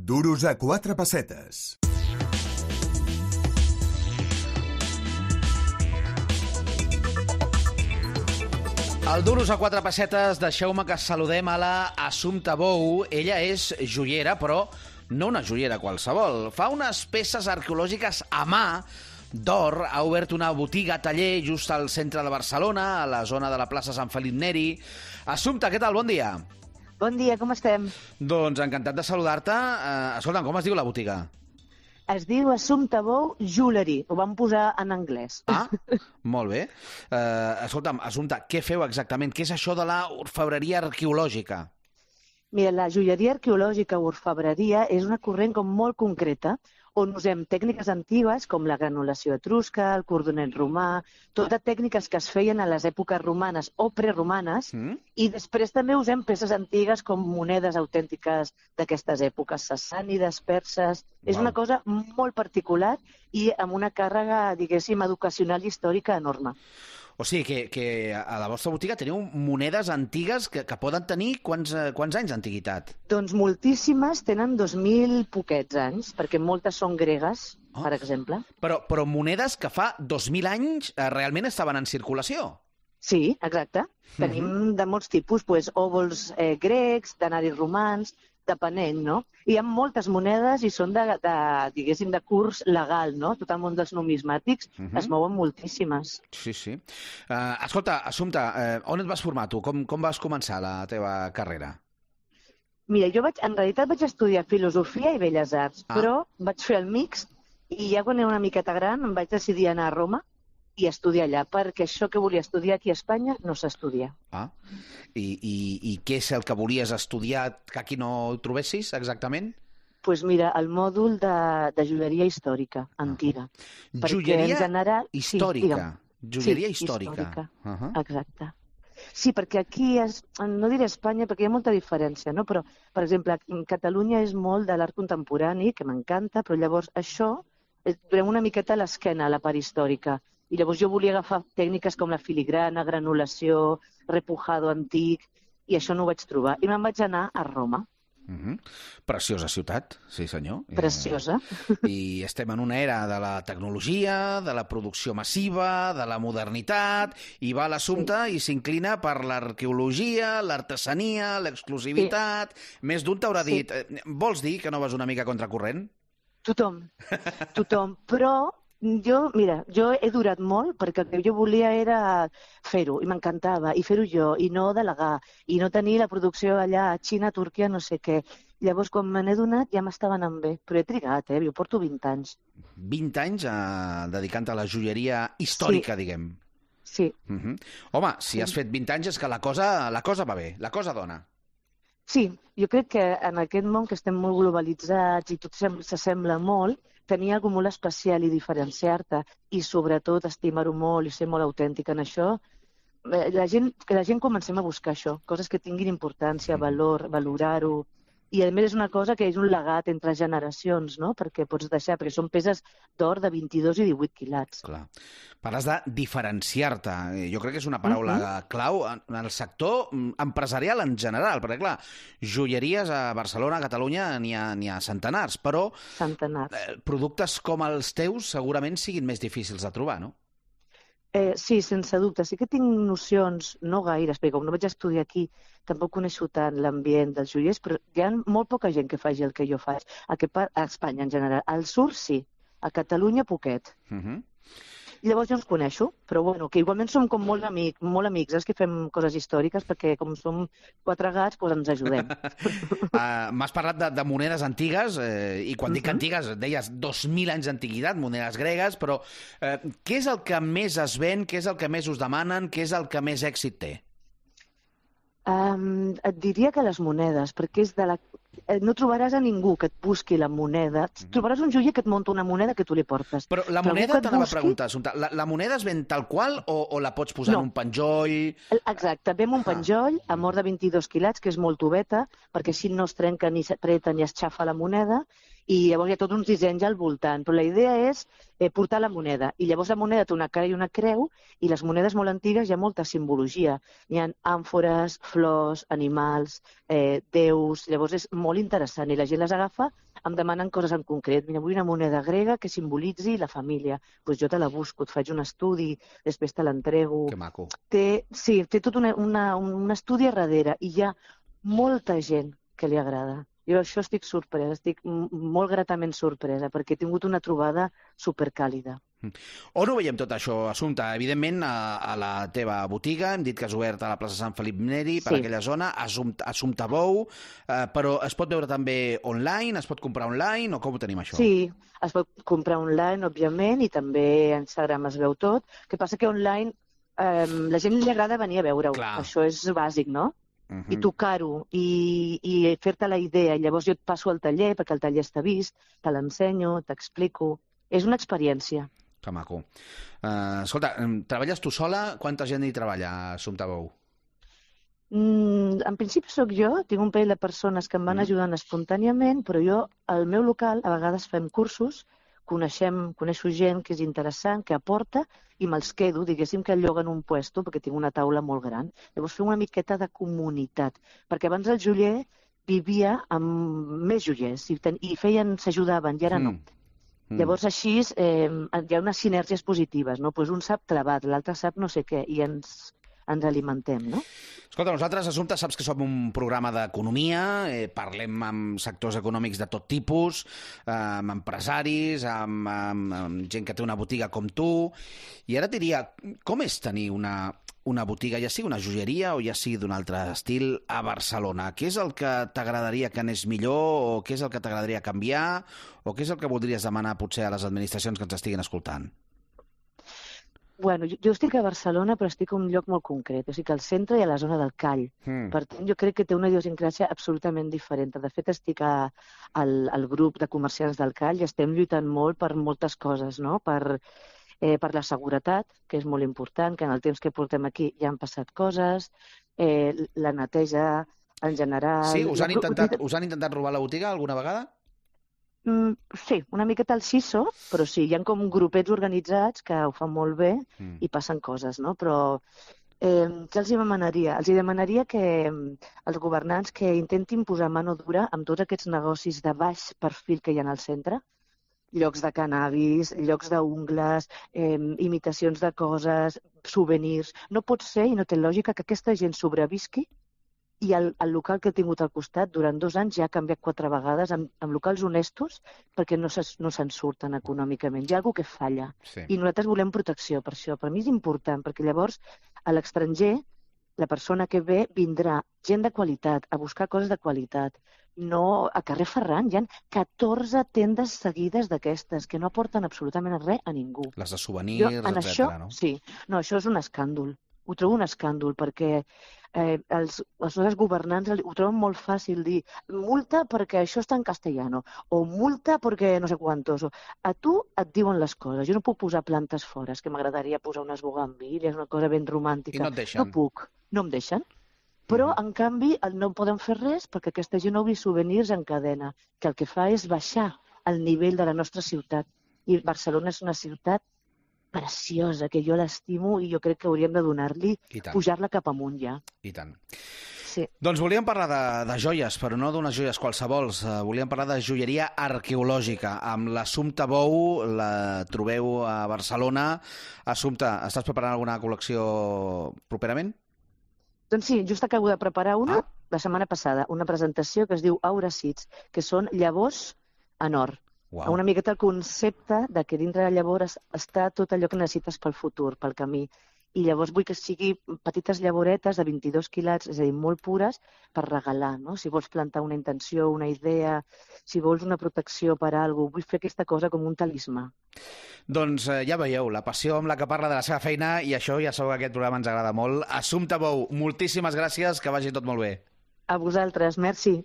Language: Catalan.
Duros a 4 pessetes. Al Duros a 4 pessetes, deixeu-me que saludem a la Assumpta Bou. Ella és joiera, però no una joiera qualsevol. Fa unes peces arqueològiques a mà d'or. Ha obert una botiga-taller just al centre de Barcelona, a la zona de la plaça Sant Felip Neri. Assumpta, què tal? Bon dia. Bon dia, com estem? Doncs encantat de saludar-te. Escolta'm, com es diu la botiga? Es diu Assumpta Bou Jewelry. Ho vam posar en anglès. Ah, molt bé. Escolta'm, Assumpta, què feu exactament? Què és això de la orfebreria arqueològica? Mira, la joieria arqueològica o orfebreria és una corrent com molt concreta on usem tècniques antigues com la granulació etrusca, el cordonet romà, totes tècniques que es feien a les èpoques romanes o preromanes, i després també usem peces antigues com monedes autèntiques d'aquestes èpoques, sassànides, perses. És una cosa molt particular i amb una càrrega, diguéssim, educacional i històrica enorme. O sigui que a la vostra botiga teniu monedes antigues que poden tenir quants anys d'antiguitat? Doncs moltíssimes tenen 2.000 poquets anys, perquè moltes són gregues, per exemple. Però monedes que fa 2.000 anys realment estaven en circulació? Sí, exacte. Tenim de molts tipus, òvols grecs, denaris romans, depenent, no? Hi ha moltes monedes i són diguéssim, de curs legal, no? Tot el món dels numismàtics es mouen moltíssimes. Sí, sí. Escolta, Assumpta, on et vas formar tu? Com vas començar la teva carrera? Mira, jo en realitat vaig estudiar Filosofia i Belles Arts, però vaig fer el mix i ja quan era una miqueta gran em vaig decidir anar a Roma i estudiar allà, perquè això que volia estudiar aquí a Espanya no s'estudia. I què és el que volies estudiar que aquí no ho trobessis, exactament? Doncs mira, el mòdul de joieria històrica, antiga. Joieria històrica? Joieria històrica. Exacte. Sí, perquè aquí, no diré Espanya perquè hi ha molta diferència, no? Però, per exemple, Catalunya és molt de l'art contemporani, que m'encanta, però llavors això durem una miqueta a l'esquena, a la part històrica. I llavors jo volia agafar tècniques com la filigrana, granulació, repujado antic, i això no ho vaig trobar. I me'n vaig anar a Roma. Preciosa ciutat, sí senyor. Preciosa. I estem en una era de la tecnologia, de la producció massiva, de la modernitat, i va l'Assumpta i s'inclina per l'arqueologia, l'artesania, l'exclusivitat. Més d'un t'haurà dit, vols dir que no vas una mica contracorrent? Tothom, però jo he durat molt perquè el que jo volia era fer-ho, i m'encantava, i fer-ho jo, i no delegar, i no tenir la producció allà a Xina, Turquia, no sé què. Llavors, quan me n'he donat, ja m'estava anant bé. Però he trigat, jo porto 20 anys. 20 anys dedicant a la joieria històrica, diguem. Sí. Home, si has fet 20 anys és que la cosa va bé, la cosa dona. Sí, jo crec que en aquest món que estem molt globalitzats i tot s'assembla molt, tenir alguna molt especial i diferenciar-te i sobretot estimar-ho molt i ser molt autèntic en això, que la gent comencem a buscar això, coses que tinguin importància, valor, valorar-ho. I a més és una cosa que és un legat entre generacions, no? Perquè pots deixar, perquè són peces d'or de 22 i 18 quilats. Clar. Parles de diferenciar-te. Jo crec que és una paraula clau en el sector empresarial en general, perquè clar, joieries a Barcelona, a Catalunya, n'hi ha centenars, però productes com els teus segurament siguin més difícils de trobar, no? Sí, sense dubte. Sí que tinc nocions, no gaires, perquè com no vaig estudiar aquí, tampoc coneixo tant l'ambient dels joiers, però hi ha molt poca gent que faci el que jo faig. A Espanya, en general. Al sur, sí. A Catalunya, poquet. I llavors jo els coneixo, però bueno, que igualment som com molt amics, que fem coses històriques, perquè com som 4 gats, doncs ens ajudem. M'has parlat de monedes antigues, i quan dic antigues, deies 2.000 anys d'antiguitat, monedes gregues, però què és el que més es ven, què és el que més us demanen, què és el que més èxit té? Et diria que les monedes, perquè és de la... No trobaràs a ningú que et busqui la moneda. Trobaràs un joier que et munta una moneda que tu li portes. Però la moneda, t'anava a preguntar, la moneda es ven tal qual o la pots posar en un penjoll? Exacte, ve en un penjoll amb or de 22 quilats, que és molt tubeta, perquè així no es trenca ni s'apreta ni es xafa la moneda, i llavors hi ha tots uns dissenys al voltant. Però la idea és portar la moneda. I llavors la moneda té una cara i una creu, i les monedes molt antigues hi ha molta simbologia. Hi ha àmfores, flors, animals, déus... Llavors és molt interessant i la gent les agafa em demanen coses en concret. Mira, vull una moneda grega que simbolitzi la família. Doncs jo te la busco, et faig un estudi, després te l'entrego. Que maco. Té tot un estudi a darrere i hi ha molta gent que li agrada. Jo això estic sorpresa, estic molt gratament sorpresa, perquè he tingut una trobada supercàlida. On ho veiem tot això, Assumpta? Evidentment, a la teva botiga, hem dit que has obert a la plaça Sant Felip Neri, per aquella zona, Assumpta Bou, però es pot veure també online, es pot comprar online, o com ho tenim, això? Sí, es pot comprar online, òbviament, i també a Instagram es veu tot. El que passa que online la gent li agrada venir a veure-ho. Això és bàsic, no? I tocar-ho, i fer-te la idea. Llavors jo et passo al taller, perquè el taller està vist, te l'ensenyo, t'explico. És una experiència. Que maco. Escolta, treballes tu sola? Quanta gent hi treballa, Assumpta Bou? En principi sóc jo, tinc un parell de persones que em van ajudant espontàniament, però jo, al meu local, a vegades fem cursos, coneixo gent que és interessant, que aporta, i me'ls quedo, diguéssim que lloguen un puesto, perquè tinc una taula molt gran. Llavors fem una miqueta de comunitat, perquè abans el joier vivia amb més joiers, i s'ajudaven, i ara no. Llavors així hi ha unes sinergies positives, no? Pues un sap travat, l'altre sap no sé què, i ens alimentem, no? Escolta, nosaltres, Assumpta, saps que som un programa d'economia, parlem amb sectors econòmics de tot tipus, amb empresaris, amb gent que té una botiga com tu, i ara et diria, com és tenir una botiga, ja sigui una joieria o ja sigui d'un altre estil, a Barcelona? Què és el que t'agradaria que anés millor, o què és el que t'agradaria canviar, o què és el que voldries demanar potser a les administracions que ens estiguin escoltant? Bueno, jo estic a Barcelona, però estic en un lloc molt concret, o sigui que al centre i a la zona del Call. Per tant, jo crec que té una idiosincràsia absolutament diferent. De fet, estic al grup de comerciants del Call i estem lluitant molt per moltes coses, no? Per la seguretat, que és molt important, que en el temps que portem aquí ja han passat coses, la neteja en general... Sí? Us han intentat robar la botiga alguna vegada? Sí, una miqueta al xiso, però sí, hi ha com grupets organitzats que ho fan molt bé i passen coses, no? Però què els demanaria? Els demanaria que els governants que intentin posar mano dura amb tots aquests negocis de baix perfil que hi ha al centre, llocs de cannabis, llocs d'ungles, imitacions de coses, souvenirs. No pot ser i no té lògica que aquesta gent sobrevisqui i el local que he tingut al costat durant 2 anys ja ha canviat 4 vegades amb locals honestos perquè no se'n surten econòmicament. Hi ha alguna cosa que falla. I nosaltres volem protecció per això. Per mi és important, perquè llavors a l'estranger la persona que ve vindrà gent de qualitat, a buscar coses de qualitat. No, a carrer Ferran hi ha 14 tendes seguides d'aquestes que no aporten absolutament res a ningú. Les de souvenirs, etcètera, no? Sí. No, això és un escàndol. Ho trobo un escàndol perquè els nostres governants ho troben molt fàcil dir multa perquè això està en castellano o multa perquè no sé quantos. A tu et diuen les coses. Jo no puc posar plantes fora, és que m'agradaria posar unes bugambilles, una cosa ben romàntica. I no et deixen? No puc, no em deixen. Però, en canvi, no poden fer res perquè aquesta gent obri souvenirs en cadena, que el que fa és baixar el nivell de la nostra ciutat. I Barcelona és una ciutat preciosa, que jo l'estimo i jo crec que hauríem de donar-li, pujar-la cap amunt ja. I tant. Sí. Doncs volíem parlar de joies, però no d'unes joies qualsevols. Volíem parlar de joieria arqueològica. Amb l'Assumpta Bou la trobeu a Barcelona. Assumpta, estàs preparant alguna col·lecció properament? Doncs sí, just acabo de preparar una la setmana passada, una presentació que es diu Aura Seeds, que són llavors en or. Wow. Una miqueta el concepte de que dintre de llavors està tot allò que necessites pel futur, pel camí. I llavors vull que sigui petites llavoretes de 22 quilats, és a dir, molt pures, per regalar, no? Si vols plantar una intenció, una idea, si vols una protecció per a alguna cosa, vull fer aquesta cosa com un talismà. Doncs ja veieu, la passió amb la que parla de la seva feina, i això ja sabeu que aquest programa ens agrada molt. Assumpta Bou, moltíssimes gràcies, que vagi tot molt bé. A vosaltres, merci.